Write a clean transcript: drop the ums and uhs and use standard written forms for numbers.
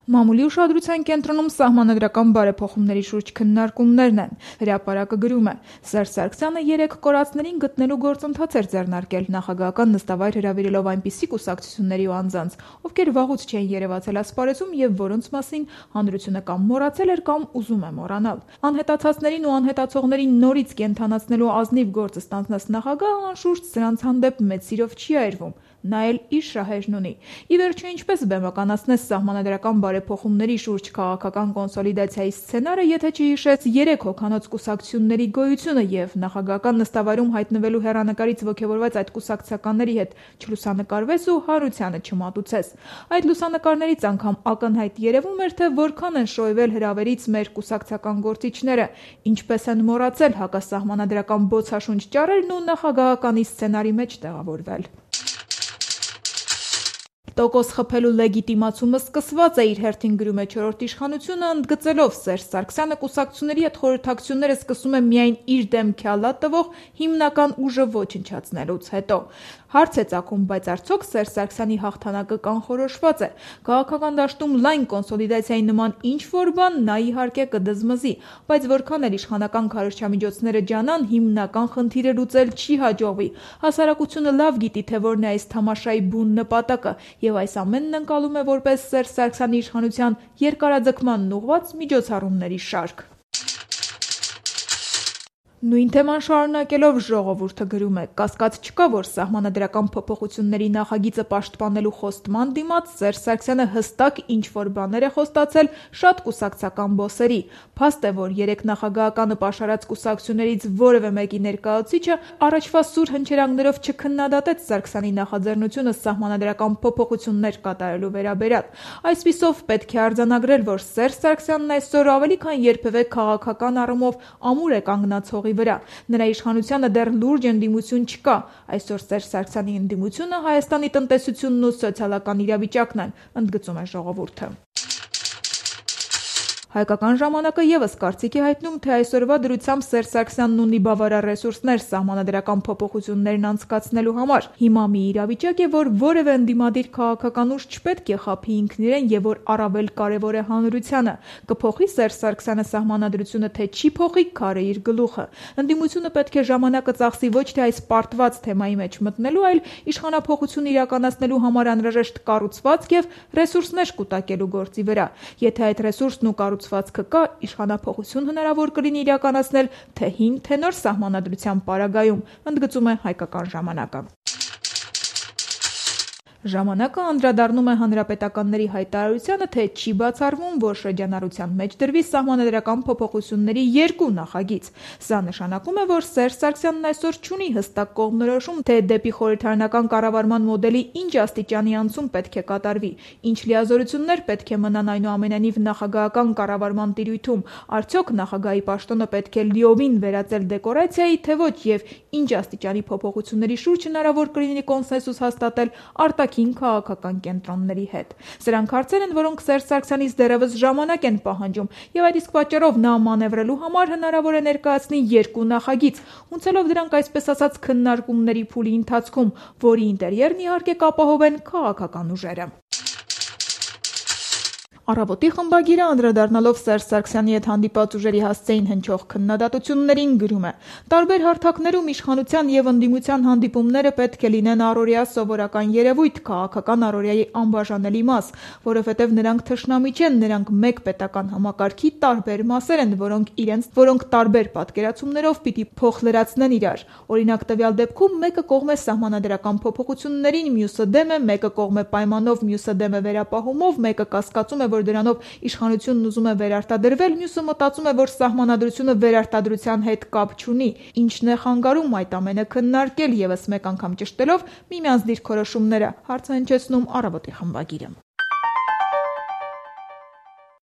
Մամուլի ուշադրության կենտրոնում սահմանադրական բարեփոխումների շուրջ քննարկումներն են։ Հրապարակը գրում է. Սերժ Սարգսյանը 3 կորածներին գտնելու գործընթաց էր ձեռնարկել, նախագահական նստավայր հրավիրելով այնպիսի կուսակցությունների ու անձանց, ովքեր վաղուց չէին երևացել ասպարեզում եւ որոնց մասին հանրությունը կամ մոռացել էր կամ ուզում է մոռանալ։ Անհետացածներին ու անհետացողներին նորից կենթանացնելու ազնիվ գործ ստանձնած նախագահը անշուշտ սրանց հանդեպ մեծ սիրով չի այրվում։ Նա էլ իր շահերն ունի։ Ի վերջո, ինչպես բեմականացնես սահմանադրական բարեփոխումների շուրջ քաղաքական կոնսոլիդացիայի սցենարը, եթե չհիշես 3 հոգանոց կուսակցությունների գոյությունը եւ նախագահական նստավայրում հայտնվելու հեռանկարից ոգևորված այդ կուսակցականների հետ չլուսանկարվես ու հարությանը չմատուցես։ Այդ լուսանկարներից անգամ ակնհայտ երևում էր, թե որքան են շոյվել հրավերից մեր կուսակցական գործիչները, ինչպես են մոռացել հակասահմանադրական բոցաշունչ ճառերն ու նախագահականի սցենարի մեջ տեղավորվել։ Տոկոս խփելու լեգիտիմացումը սկսված է, իր հերթին գրում է Չորրորդ իշխանությունը, ընդգծելով Սերժ Սարգսյանը կուսակցությունների հետ խորհրդակցությունները սկսում է միայն իր դեմ քյալա տվող հիմնական ուժը ոչնչացնելուց հետո։ Հարց է ծագում, բայց արդյոք Սերժ Սարգսյանի հաղթանակը կանխորոշված է։ Քաղաքական դաշտում լայն կոնսոլիդացիայի նման ինչ-որ բան նա իհարկե կդզմզի, բայց որքան էլ իշխանական քարոզչամիջոցները ջանան, հիմնական խնդիրը լուծել չի հաջողվի։ Հասարակությունը լավ գիտի, թե որն է այս թամաշայի բուն նպատակը, եւ այս ամենն ընկալում է որպես Սերժ Սարգսյանի իշխանության երկարաձգմանն ուղղված միջոցառումների շարք։ Նույն թեման շարունակելով ժողովուրդը գրում է. կասկած չկա, որ սահմանադրական փոփոխությունների նախագիծը պաշտպանելու խոստման դիմաց Սերժ Սարգսյանը հստակ ինչ-որ բաներ է խոստացել շատ կուսակցական բոսերի։ Փաստ է, որ 3 նախագահականը պաշարած կուսակցություններից որևէ մեկի ներկայացուցիչը առաջվա սուր հնչերանգներով չքննադատեց Սարգսյանի նախաձեռնությունը սահմանադրական փոփոխություններ կատարելու վերաբերյալ։ Այսպիսով պետք է արձանագրել, որ Սերժ Սարգսյանն այսօր ավելի քան երբևէ քաղաքական առումով ամուր է կանգնած հողի վրա։ Նրա իշխանությանը դեռ լուրջ ընդդիմություն չկա։ Այսօր Սերժ Սարգսյանի ընդդիմությունը Հայաստանի տնտեսությունն ու սոցիալական իրավիճակն են, ընդգծում է ժողովուրդը։ Հայկական ժամանակը եւս կարծիք է հայտնում, թե այսօրվա դրությամբ Սերժ Սարգսյանն ունի բավարար ռեսուրսներ սահմանադրական փոփոխություններն անցկացնելու համար։ Հիմա մի իրավիճակ է, որ որևէ ընդդիմադիր քաղաքական ուժ չպետք է խաբի ինքն իրեն եւ որ առավել կարեւոր է հանրությանը։ Կփոխի Սերժ Սարգսյանը սահմանադրությունը, թե չի փոխի, քարը իր գլուխը։ Ընդդիմությունը պետք է ժամանակը ծախսի ոչ թե այս պարտված թեմայի մեջ մտնելու, այլ իշխանափոխություն իրականացնելու համար անհրաժեշտ կառուցվածք եւ ռեսուրսներ կուտակելու գործի վրա։ Եթե այդ ռեսուրսն ու կառուցվածքը կա, իշխանափոխություն հնարավոր կլինի իրականացնել թե հին, թե նոր սահմանադրության պարագայում, ընդգծում է Հայկական ժամանակը։ Ժամանակը անդրադառնում է հանրապետականների հայտարարությանը, թե չի բացառվում, որ շրջանառության մեջ դրվի սահմանադրական փոփոխությունների 2 նախագիծ։ Սա նշանակում է, որ Սերժ Սարգսյանն այսօր չունի հստակ կողմնորոշում, թե դեպի խորհրդարանական կառավարման մոդելի ինչ աստիճանի անցում պետք է կատարվի, ինչ լիազորություններ պետք է մնան այնուամենայնիվ նախագահական կառավարման տիրույթում, արդյոք նախագահի պաշտոնը պետք է լիովին վերածել դեկորացիայի, թե ոչ, եւ ինչ աստիճանի փոփոխությունների շուրջ հնարավոր կլինի կոնսենսուս հաստատել արտաքին քաղաքական կենտրոնների հետ։ Սրանք հարցեր են, որոնք Սերժ Սարգսյանից դեռևս ժամանակ են պահանջում, եւ այդ իսկ պատճառով նա մանևրելու համար հնարավոր է ներկայացնի 2 նախագիծ, ունեցելով դրանք այսպես ասած քննարկումների փուլի ընթացքում, որի ինտերիերն իհարկե կապահովեն քաղաքական ուժերը։ Առավոտի խմբագիրը անդրադառնալով Սերժ Սարգսյանի հետ հանդիպած ուժերի հասցեին հնչող քննադատություններին գրում է. տարբեր հարթակներում իշխանության եւ ընդդիմության հանդիպումները պետք է լինեն առօրյա սովորական երևույթ, քաղաքական առօրյայի անբաժանելի մաս, որովհետեւ նրանք թշնամի չեն, նրանք մեկ պետական համակարգի տարբեր մասեր են, որոնք տարբեր պատկերացումներով պիտի փոխլրացնեն իրար։ Օրինակ, տվյալ դեպքում մեկը կողմ է սահմանադրական փոփոխություններին, մյուսը դեմ է, մեկը կողմ է պայմանով, մյուսը դեմ է վերապահումով, մեկը կասկածում է, որ դրանով իշխանությունն ուզում է վերարտադրվել, մյուսը մտածում է, որ սահմանադրությունը վերարտադրության հետ կապ չունի։ Ինչն է խանգարում այդ ամենը քննարկել, եւս մեկ անգամ ճշտելով միմյանց դիրքորոշումները, հարցը հնչեցնում Առավոտի խմբագիրը։